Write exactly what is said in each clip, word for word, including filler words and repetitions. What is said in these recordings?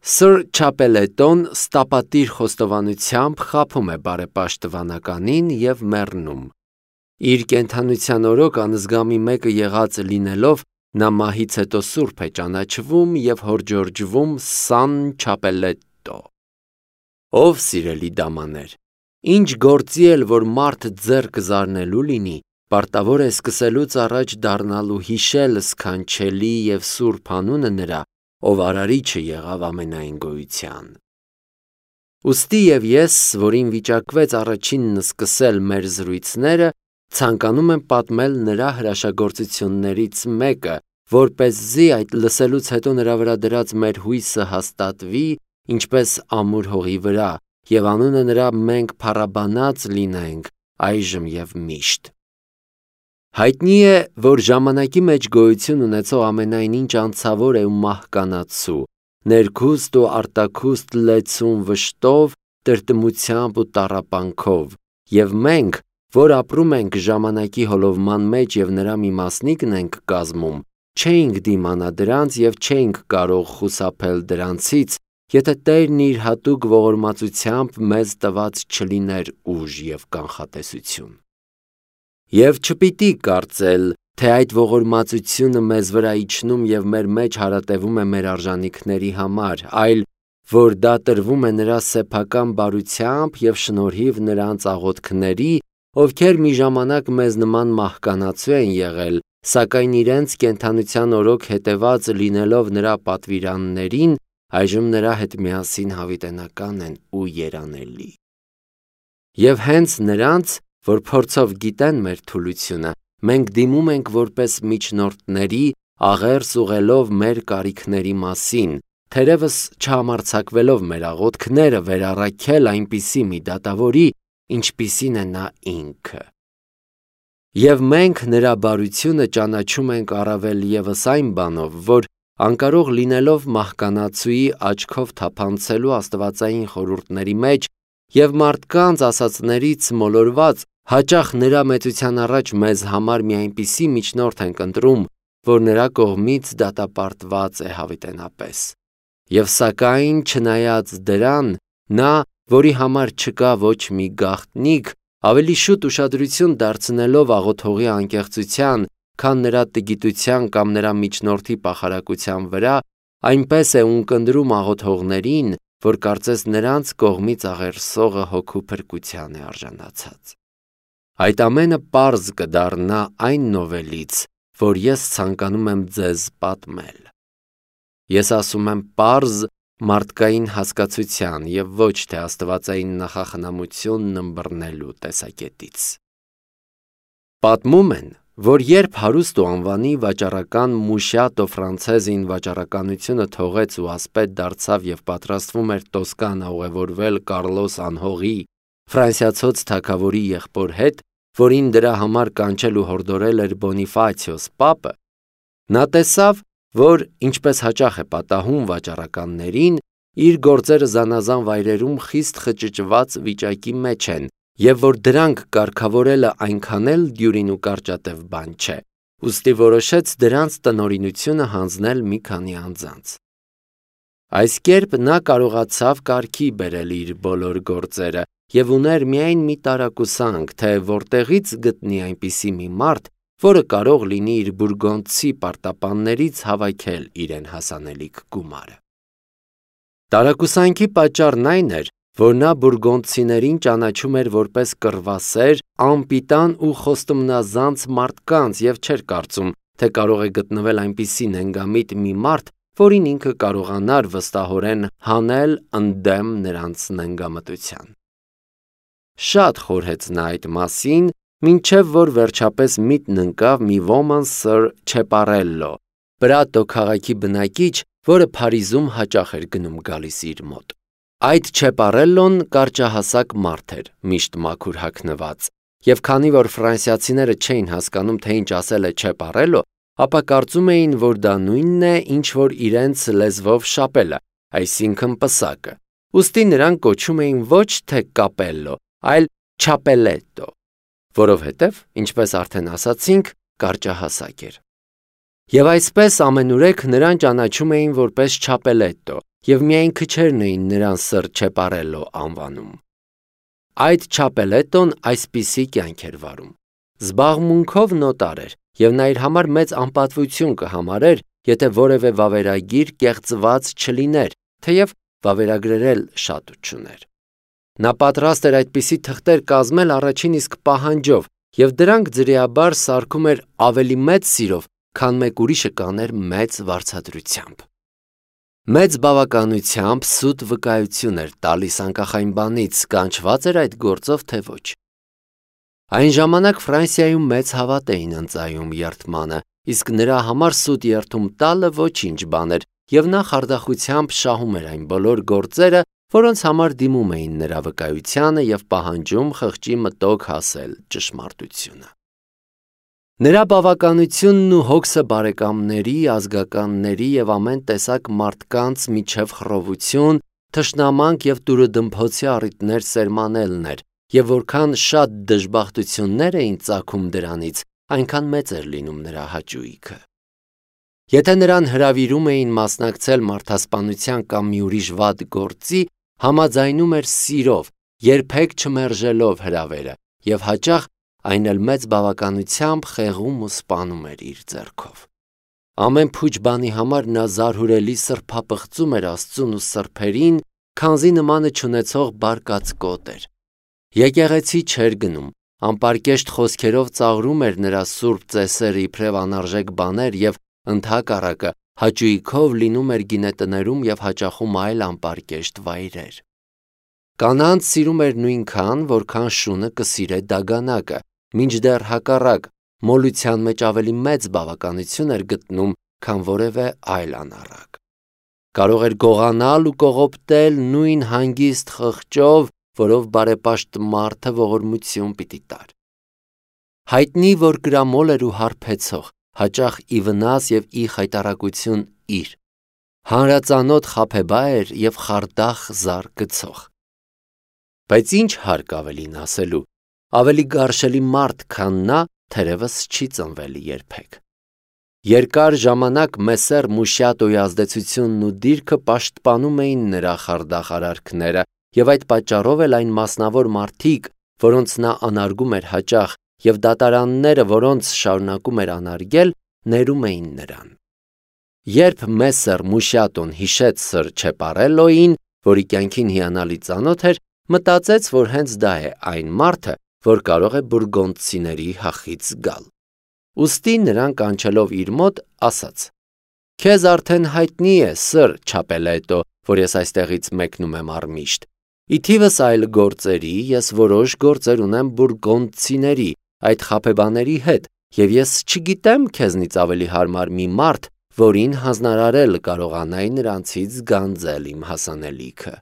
Սր Չապելետոն ստապատիր խոստովանությամբ խաբում է բարեպաշտվանականին և մեռնում։ Իր կենդանության օրոք անզգամի մեկը եղած լինելով, նա մահից հետո սուրբ է ճանաչվում և հորդորջվում Սան Չապելետո։ Ով սիրելի դամաներ, ինչ գործի էլ որ մարդ ձեռք զարնելու լինի, պարտավոր է սկսելուց առաջ դառնալ ու հիշել սքանչելի և սուրբ անունը նրա, ով արարիչը եղավ ամենայն գոյության։ Ուստի և ես, որին վիճակվեց առաջինն սկսել մեր զրույցները, ցանկանում եմ պատմել նրա հրաշագործություններից մեկը, որպեսզի այդ լսելուց հետո նրա վրա դրած մեր հույսը հաստատվի, ինչպես ամուր հողի վրա, և անունը նրա մենք փառաբանած լինենք այժմ և միշտ։ Հայտնի է, որ ժամանակի մեջ գոյություն ունեցող ամենայն ինչ անցավոր է ու մահկանացու, ներքուստ ու արտաքուստ լեցուն վշտով, տրտմությամբ ու տառապանքով, և մենք, որ ապրում ենք ժամանակի հոլովման մեջ և նրա մի մասնիկն ենք կազմում, չէինք դիմանա դրանց և չէինք կարող խուսափել դրանցից, եթե Տերն իր հատուկ ողորմածությամբ մեզ տված չլիներ ուժ և կանխատեսություն։ Եվ չպիտի կարծել, թե այդ ողորմածությունը մեզ վրա իջնում և մեր մեջ հարատևում է մեր արժանիքների համար, այլ որ դա տրվում է նրա սեփական բարությամբ և շնորհիվ նրանց աղոթքների, ովքեր մի ժամանակ մեզ նման մահկանացու են եղել, սակայն իրենց կենդանության օրոք հետևած լինելով նրա պատվիրաններին, այժմ նրա հետ միասին հավիտենական են ու երանելի։ Եվ հենց նրանց, որ փորձով գիտեն մեր թուլությունը, մենք դիմում ենք որպես միջնորդների, աղերս ուղղելով մեր կարիքների մասին, թերևս չհամարձակվելով մեր աղոթքները վերառաքել այնպիսի մի դատավորի, ինչպիսին է նա ինքը։ Եվ մենք նրա բարությունը ճանաչում ենք առավել ևս այն բանով, որ անկարող լինելով մահկանացուի աչքով թափանցելու աստվածային խորհուրդների մեջ և մարդկանց ասածներից մոլորված, հաճախ նրա մեծության առաջ մեզ համար մի այնպիսի միջնորդ ենք ընտրում, որ նրա կողմից դատապարտված է հավիտենապես։ Եվ սակայն չնայած դրան, նա, որի համար չկա ոչ մի գաղտնիք, ավելի շուտ ուշադրություն դարձնելով աղոթողի անկեղծության, քան նրա տգիտության կամ նրա միջնորդի պախարակության վրա, այնպես է ունկնդրում աղոթողներին, որ կարծես նրանց կողմից աղերսողը հոգու փրկության է արժանացած։ Այդ ամենը պարզ կդառնա այն նովելից, որ ես ցանկանում եմ ձեզ պատմել։ Ես ասում եմ պարզ մարդկային հասկացության և ոչ թե աստվածային նախախնամությունն ըմբռնելու տեսակետից։ Պատմում են, որ երբ հարուստ ու անվանի վաճառական Մուշատո Ֆրանցեզին վաճառականությունը թողեց ու ասպետ դարձավ և պատրաստվում էր Տոսկանա ուղևորվել Կարլոս անհողի, ֆրանսիացոց թագավորի եղբոր հետ, որին դրա համար կանչել ու հորդորել էր Բոնիֆացիոս պապը, նա տեսավ, որ, ինչպես հաճախ է պատահում վաճառականներին, իր գործերը զանազան վայրերում խիստ խճճված վիճակի մեջ են, և որ դրանք կարգավորելը այնքան էլ դյուրին ու կարճատև բան չէ, ուստի որոշեց դրանց տնօրինությունը հանձնել մի քանի անձանց։ Այս կերպ նա կարողացավ կարգի բերել իր բոլոր գործերը և ուներ միայն մի տարակուսանք, թե որտեղից գտնի այնպիսի մի մարդ, որը կարող լինի իր բուրգոնդցի պարտապաններից հավաքել իրեն հասանելիք գումարը։ Տարակուսանքի պատճառն այն էր, որ նա բուրգոնդցիներին ճանաչում էր որպես կռվասեր, անպիտան ու խոստումնազանց մարդկանց և չէր կարծում, թե կարող է գտնվել այնպիսի նենգամիտ մի մարդ, որին ինքը կարողանար վստահորեն հանել ընդդեմ նրանց նենգամտության։ Շատ խորհեց նա այդ մասին, մինչև որ վերջապես միտն ընկավ մի ոման Սր Չեպարելլո, Պրատո քաղաքի բնակիչ, որը Փարիզում հաճախ էր գնում գալիս իր մոտ։ Այդ Չեպարելլոն կարճահասակ մարդ էր, միշտ մաքուր հագնված, և քանի որ ֆրանսիացիները չէին հասկանում, թե ինչ ասել է Չեպարելլո, ապա կարծում էին, որ դա նույնն է, ինչ որ իրենց լեզվով շապելը, այսինքն պսակը, ուստի նրան կոչում էին ոչ թե Կապելլո, այլ Չապելետո, որովհետև, ինչպես արդեն ասացինք, կարճահասակ էր։ Եվ այսպես ամենուրեք նրան ճանաչում էին որպես Չապելետո, և միայն քչերն էին նրան Սր Չեպարելլո անվանում։ Այդ Չապելետոն այսպիսի կյանք էր վարում. զբաղմունքով նոտար էր, և նա իր համար մեծ անպատվություն կհամարեր, եթե որևէ վավերագիր կեղծված չլիներ, թեև վավերագրել էլ շատ չուներ։ Նա պատրաստ էր այդպիսի թղթեր կազմել առաջին իսկ պահանջով, և դրանք ձրիաբար սարքում էր ավելի մեծ սիրով, քան մեկ ուրիշը կաներ մեծ վարձատրությամբ։ Մեծ բավականությամբ սուտ վկայություն էր տալիս անկախ այն բանից, կանչված էր այդ գործով, թե ոչ։ Այն ժամանակ Ֆրանսիայում մեծ հավատ էին ընծայում երդմանը, իսկ նրա համար սուտ երդում տալը ոչինչ բան էր, և նա խարդախությամբ շահում էր այն բոլոր գործերը, որոնց համար դիմում էին նրա վկայությանը և պահանջում խղճի մտոք հասել ճշմարտությունը։ Նրա բավականությունն ու հոգսը բարեկամների, ազգականների և ամեն տեսակ մարդկանց միջև խռովություն, թշնամանք և տուրըդմփոցի առիթներ սերմանելն էր, և որքան շատ դժբախտություններ էին ծագում դրանից, այնքան մեծ էր լինում նրա հաճույքը։ Եթե նրան հրավիրում էին մասնակցել մարդասպանության կամ մի ուրիշ վատ գործի, համաձայնում էր սիրով, երբեք չմերժելով հրավերը, և հաճախ այն էլ մեծ բավականությամբ խեղում ու սպանում էր իր ձեռքով։ Ամեն փուչ բանի համար նա զարհուրելի սրբապղծում էր Աստծուն ու սրբերին, քանզի նմանը չունեցող բարկած կոտ էր։ Եկեղեցի չէր գնում, անպարկեշտ խոսքերով ծաղրում էր նրա սուրբ ծեսերը իբրև անարժեք բաներ և ընդհակառակը հաճույքով լինում էր գինետներում և հաճախում այլ անպարկեշտ վայրեր։ Կանանց սիրում էր նույնքան, որքան շունը կսիրե դագանակը, մինչդեռ հակառակ, մոլության մեջ ավելի մեծ բավականություն էր գտնում, քան որևէ այլ անառակ։ Կարող էր գողանալ ու կողոպտել նույն հանգիստ խղճով, որով բարեպաշտ մարդը ողորմություն պիտի տար։ Հայտնի, որ կրամոլ էր ու հարբեցող, հաճախ ի վնաս և ի խայտառակություն իր, հանրածանոթ խաբեբա էր և խարդախ զար գցող։ Բայց ինչ հարկ ավելին ասելու, ավելի գարշելի մարդ, քան նա, թերևս չի ծնվել երբեք։ Երկար ժամանակ Մեսսեր Մուշիատոյի ազդեցությունն ու դիրքը պաշտպանում էին նրա խարդախ արարքները, և այդ պատճառով էլ այն մասնավոր մարդիկ, որոնց նա անարգում էր հաճախ, և դատարանները, որոնց շարունակում էր անարգել, ներում էին նրան։ Երբ Մեսսեր Մուշիատոն հիշեց Սր Չեպարելլոյին, որի կյանքին հիանալի ծանոթ էր, մտածեց, որ հենց դա է այն մարդը, որ կարող է բուրգոնդցիների հախից գալ։ Ուստի նրան կանչելով իր մոտ, ասաց. «Քեզ արդեն հայտնի է, Սր Չապելետո, որ ես այստեղից մեկնում եմ առմիշտ։ Ի թիվս այլ գործերի ես որոշ գործեր ունեմ բուրգոնդցիների, այդ խաբեբաների հետ, և ես չգիտեմ քեզնից ավելի հարմար մի մարդ, որին հանձնարարել կարողանայի նրանցից գանձել իմ հասանելիքը։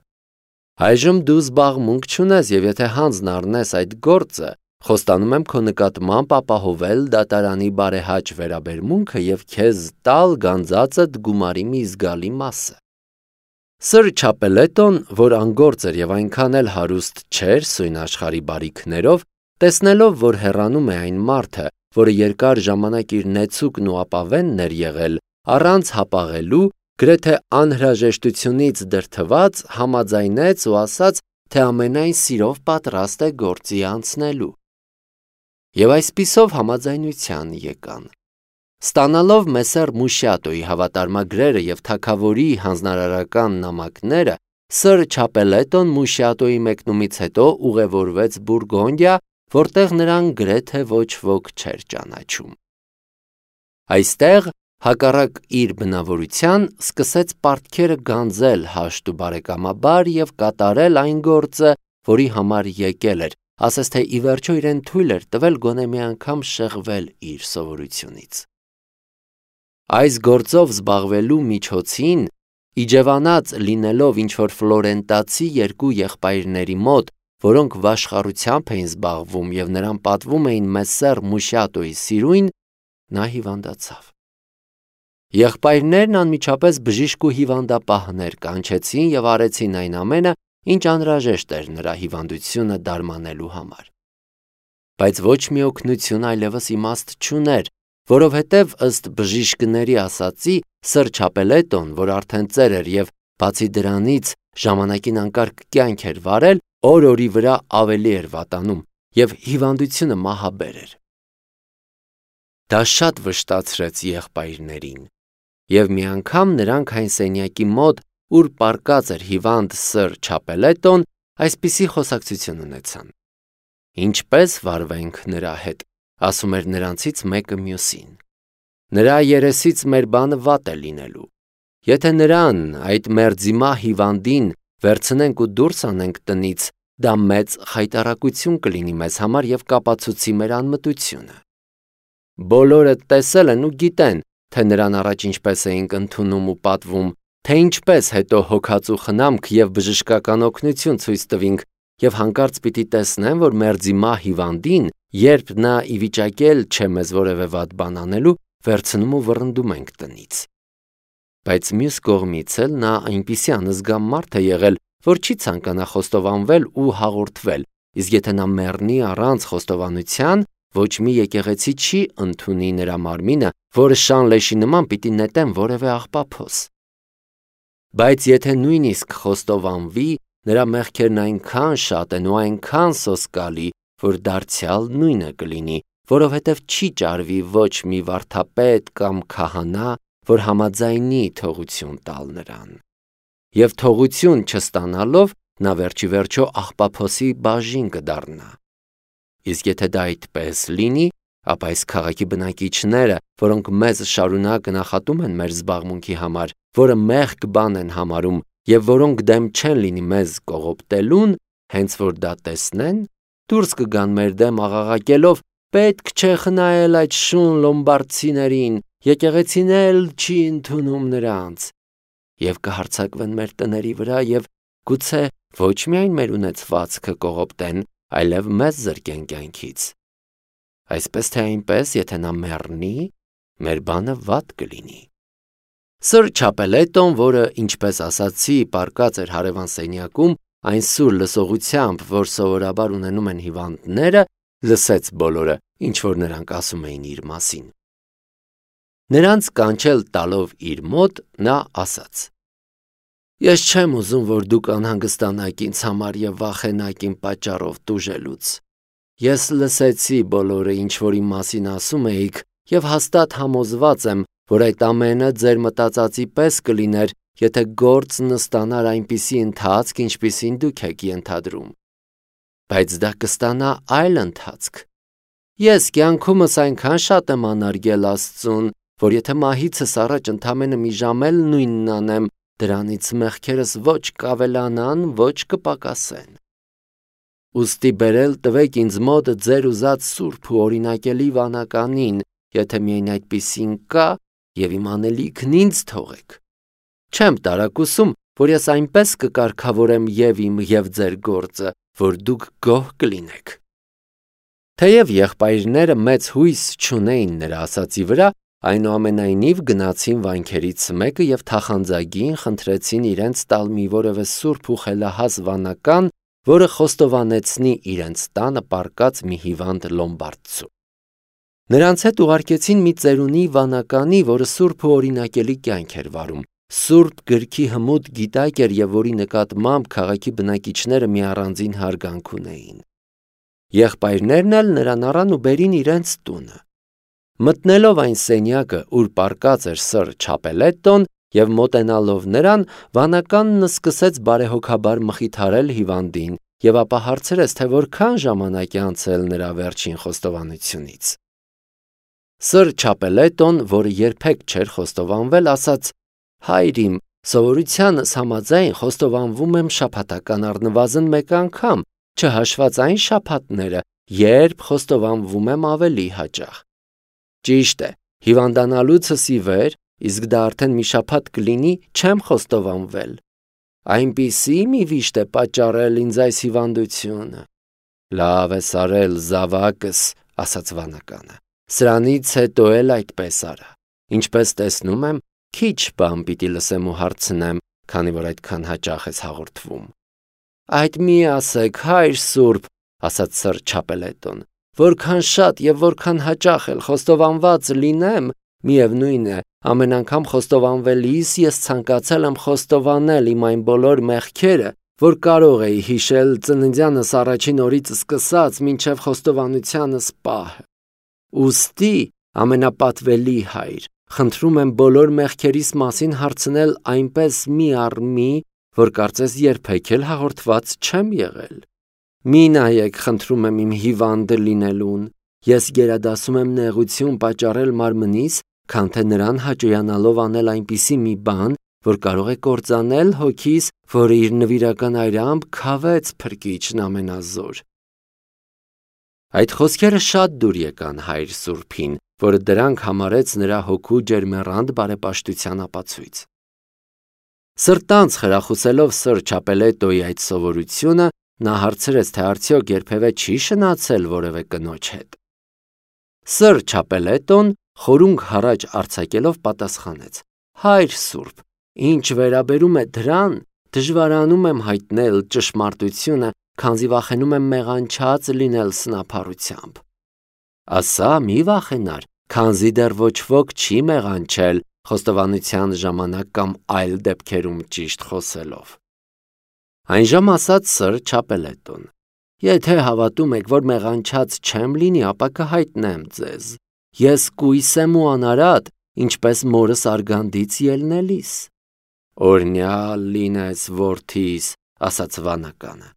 Այժմ դու զբաղմունք չունես, և եթե հանձն առնես այդ գործը, խոստանում եմ քո նկատմամբ ապահովել դատարանի բարեհաճ վերաբերմունքը և քեզ տալ գանձածդ գումարի մի զգալի մասը»։ Սր Չապելետոն, որ անգործ էր և այնքան էլ հարուստ չէր սույն աշխարհի բարիքներով, տեսնելով, որ հեռանում է այն մարդը, որը երկար ժամանակ իր նեցուկն ու ապավենն էր եղել, առանց հապաղելու, գրեթե անհրաժեշտությունից դրդված, համաձայնեց ու ասաց, թե ամենայն սիրով պատրաստ է գործի անցնելու։ Եվ այսպիսով համաձայնության եկան։ Ստանալով Մեսսեր Մուշիատոյի հավատարմագրերը և թագավորի հանձնարարական նամակները, Սր Չապելետոն Մուշիատոյի մեկնումից հետո ուղևորվեց Բուրգոնդիա, որտեղ նրան գրեթե ոչ ոք չէր ճանաչում։ Այստեղ, հակառակ իր բնավորության, սկսեց պարտքերը գանձել հաշտ ու բարեկամաբար և կատարել այն գործը, որի համար եկել էր, ասես թե ի վերջո իրեն թույլ էր տվել գոնե մի անգամ շեղվել իր սովորությունից։ Այս գործով զբաղվելու միջոցին, իջևանած լինելով ինչ-որ ֆլորենտացի երկու եղբայրների մոտ, որոնք վաշխառությամբ էին զբաղվում և նրան պատվում էին Մեսսեր Մուշիատոյի սիրույն, նա հիվանդացավ։ Եղբայրներն անմիջապես բժիշկ ու հիվանդապահներ կանչեցին և արեցին այն ամենը, ինչ անհրաժեշտ էր նրա հիվանդությունը դարմանելու համար։ Բայց ոչ մի օգնություն այլևս իմաստ չուներ, որովհետև ըստ բժիշկների ասացի, Սր Չապելետոն, որ արդեն ծեր էր և Բացի դրանից, ժամանակին անկարգ կյանք էր վարել, օր-օրի վրա ավելի էր վատանում և հիվանդությունը մահաբեր էր։ Դա շատ վշտացրեց եղբայրներին, և մի անգամ նրանք այն սենյակի մոտ, ուր պառկած էր հիվանդ սըր Չապելետոն, այսպիսի խոսակցություն ունեցան. «Ինչպե՞ս վարվենք նրա հետ», ասում էր նրանցից մեկը մյուսին։ «Նրա երեսից մեր բանը վատ է լինելու։ Եթե նրան, այդ մերձիմա հիվանդին, վերցնենք ու դուրս անենք տնից, դա մեծ խայտառակություն կլինի մեզ համար և կապացուցի մեր անմտությունը։ Բոլորը տեսել են ու գիտեն, թե նրան առաջ ինչպես էինք ընդունում ու պատվում, թե ինչպես հետո հոգած ու խնամք և բժշկական օգնություն ցույց տվինք, և հանկարծ պիտի տեսնեն, որ մերձիմա հիվանդին, երբ նա ի վիճակի էլ չէ մեզ որևէ վատ բան անելու, վերցնում ու վռնդում ենք տնից։ Բայց մյուս կողմից էլ նա այնպիսի անզգամ մարդ է եղել, որ չի ցանկանա խոստովանվել ու հաղորդվել, իսկ եթե նա մեռնի առանց խոստովանության, ոչ մի եկեղեցի չի ընդունի նրա մարմինը, որը շան լեշի նման պիտի նետեն որևէ աղբափոս։ Բայց եթե նույնիսկ խոստովանվի, նրա մեղքերն այնքան շատ են ու այնքան սոսկալի, որ դարձյալ նույնը կլինի, որովհետև չի ճարվի ոչ մի վարդապետ կամ քահանա, որ համաձայնի թողություն տալ նրան։ Եվ թողություն չստանալով, նա վերջի վերջո աղբափոսի բաժին կդառնա։ Իսկ եթե դա այդպես լինի, ապա այս քաղաքի բնակիչները, որոնք մեզ շարունակ նախատում են մեր զբաղմունքի համար, որը մեղք բան են համարում և որոնք դեմ չեն լինի մեզ կողոպտելուն, հենց որ դա տեսնեն, դուրս կգան մեր դեմ աղաղակելով. «Պետք չէ խնայել այդ շուն լոմբարդցիներին, եկեղեցին էլ չի ընդունում նրանց», և կհարձակվեն մեր տների վրա և գուցե ոչ միայն մեր ունեցվածքը կողոպտեն, այլև մեզ զրկեն կյանքից։ Այսպես թե այնպես, եթե նա մեռնի, մեր բանը վատ կլինի։ Սըր Չապելետոն, որը, ինչպես ասացի, պառկած էր հարևան սենյակում, այն սուր լսողությամբ, որ սովորաբար ունենում են հիվանդները, լսեց բոլորը, ինչ որ նրանք ասում էին իր մասին։ Նրանց կանչել տալով իր մոտ, նա ասաց. «Ես չեմ ուզում, որ դուք անհանգստանաք ինձ համար և վախենաք իմ պատճառով տուժելուց։ Ես լսեցի բոլորը, ինչ որ իմ մասին ասում էիք, և հաստատ համոզված եմ, որ այդ ամենը ձեր մտածածի պես կլիներ, եթե գործն ստանար այնպիսի ընթացք, ինչպիսին դուք եք ենթադրում։ Բայց դա կստանա այլ ընթացք։ Ես կյանքումս այնքան շատ եմ անարգել Աստծուն, որ եթե մահիցս առաջ ընդամենը մի ժամ էլ նույնն անեմ, դրանից մեղքերս ոչ կավելանան, ոչ կպակասեն։ Ուստի բերել տվեք ինձ մոտ ձեր ուզած սուրբ ու օրինակելի վանականին, եթե միայն այդպիսին կա, և իմ անելիքն ինձ թողեք։ Չեմ տարակուսում, որ ես այնպես կկարգավորեմ և իմ և ձեր գործը, որ դուք գոհ կլինեք»։ Թեև եղբայրները մեծ հույս չունեին նրա ասածի վրա, այնուամենայնիվ գնացին վանքերից մեկը և թախանձագին խնդրեցին իրենց տալ մի որևէ սուրբ ու խելահաս վանական, որը խոստովանեցնի իրենց տանը պառկած մի հիվանդ լոմբարդցու։ Նրանց հետ ուղարկեցին մի ծերունի վանականի, որը սուրբ ու օրինակելի կյանք էր վարում, սուրբ գրքի հմուտ գիտակ էր և որի նկատմամբ քաղաքի բնակիչները մի առանձին հարգանք ունեին։ Եղբայրներն էլ նրան առան ու բերին իրենց տունը։ Մտնելով այն սենյակը, ուր պառկած էր սըր Չապելետոն, և մոտենալով նրան, վանականն սկսեց բարեհոգաբար մխիթարել հիվանդին և ապա հարցրեց, թե որքան ժամանակ է անցել նրա վերջին խոստովանությունից։ Սըր Չապելետոն, որը երբեք չէր խոստովանվել, ասաց. «Հայր իմ, սովորությանս համաձայն խոստովանվում եմ շաբաթական առնվազն մեկ անգամ, չհաշված այն շաբաթները, երբ խոստովանվում եմ ավելի հաճախ։ Ճիշտ է, հիվանդանալուցս ի վեր, իսկ դա արդեն մի շաբաթ կլինի, չեմ խոստովանվել։ Այնպիսի մի վիշտ է պատճառել ինձ այս հիվանդությունը»։ «Լավ ես արել, զավակս», ասաց վանականը, «սրանից հետո էլ այդպես արա։ Ինչպես տեսնում եմ, քիչ բան պիտի լսեմ ու հարցնեմ, քանի որ այդքան հաճախ ես հաղորդվում»։ «Այդ մի ասեք, հայր սուրբ», ասաց սըր Չապելետոն, «որքան շատ և որքան հաճախ էլ խոստովանված լինեմ, Միևնույն է, ամեն անգամ խոստովանվելիս ես ցանկացել եմ խոստովանել իմ այն բոլոր մեղքերը, որ կարող էի հիշել ծննդյանս առաջին օրից սկսած մինչև խոստովանությանս պահը։ Ուստի, ամենապատվելի Հայր, խնդրում եմ բոլոր մեղքերիս մասին հարցնել այնպես մի առ մի, որ կարծես երբեք էլ հաղորդված չեմ եղել։ Մի նայեք, խնդրում եմ իմ հիվանդը լինելուն, ես գերադասում եմ նեղություն պատճառել մարմնիս, քան թե նրան հաճոյանալով անել այնպիսի մի բան, որ կարող է կործանել հոգիս, որը իր նվիրական այրամբ քավեց Փրկիչն ամենազոր։ Այդ խոսքերը շատ դուր եկան Հայր Սուրբին, որը դրանք համարեց նրա հոգու ջերմեռանդ բարեպաշտության ապացույց։ Սրտանց խրախուսելով Սր Չապելետոյի այդ սովորությունը, նա հարցրեց, թե արդյոք երբևէ չի շնացել որևէ կնոջ հետ։ Սր Չապելետոն խորունգ հառաջ արձակելով պատասխանեց. Հայր Սուրբ, ինչ վերաբերում է դրան, դժվարանում եմ հայտնել ճշմարտությունը, քանզի վախենում եմ մեղանչած լինել սնափառությամբ։ Ասա, մի վախենար, քանզի դեռ ոչ ոք չի մեղանչել խոստովանության ժամանակ կամ այլ դեպքերում ճիշտ խոսելով։ Այնժամ ասաց Սր Չապելետոն. Եթե հավատում եք, որ մեղանչած չեմ լինի, ապա կհայտնեմ ձեզ։ Ես կույս եմ ու անարատ, ինչպես մորս արգանդից ելնելիս։ Օրհնյալ լինես որդիս, ասաց վանականը։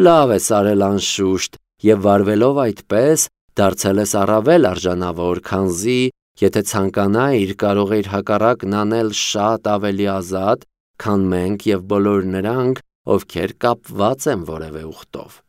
Լավ ես արել անշուշտ, եւ վարվելով այդպես, դարձել ես առավել արժանավոր, քանզի, եթե ցանկանայիր, կարող էիր հակառակն անել շատ ավելի ազատ, քան մենք եւ բոլոր նրանք, ովքեր կապված են որևէ ուխտով։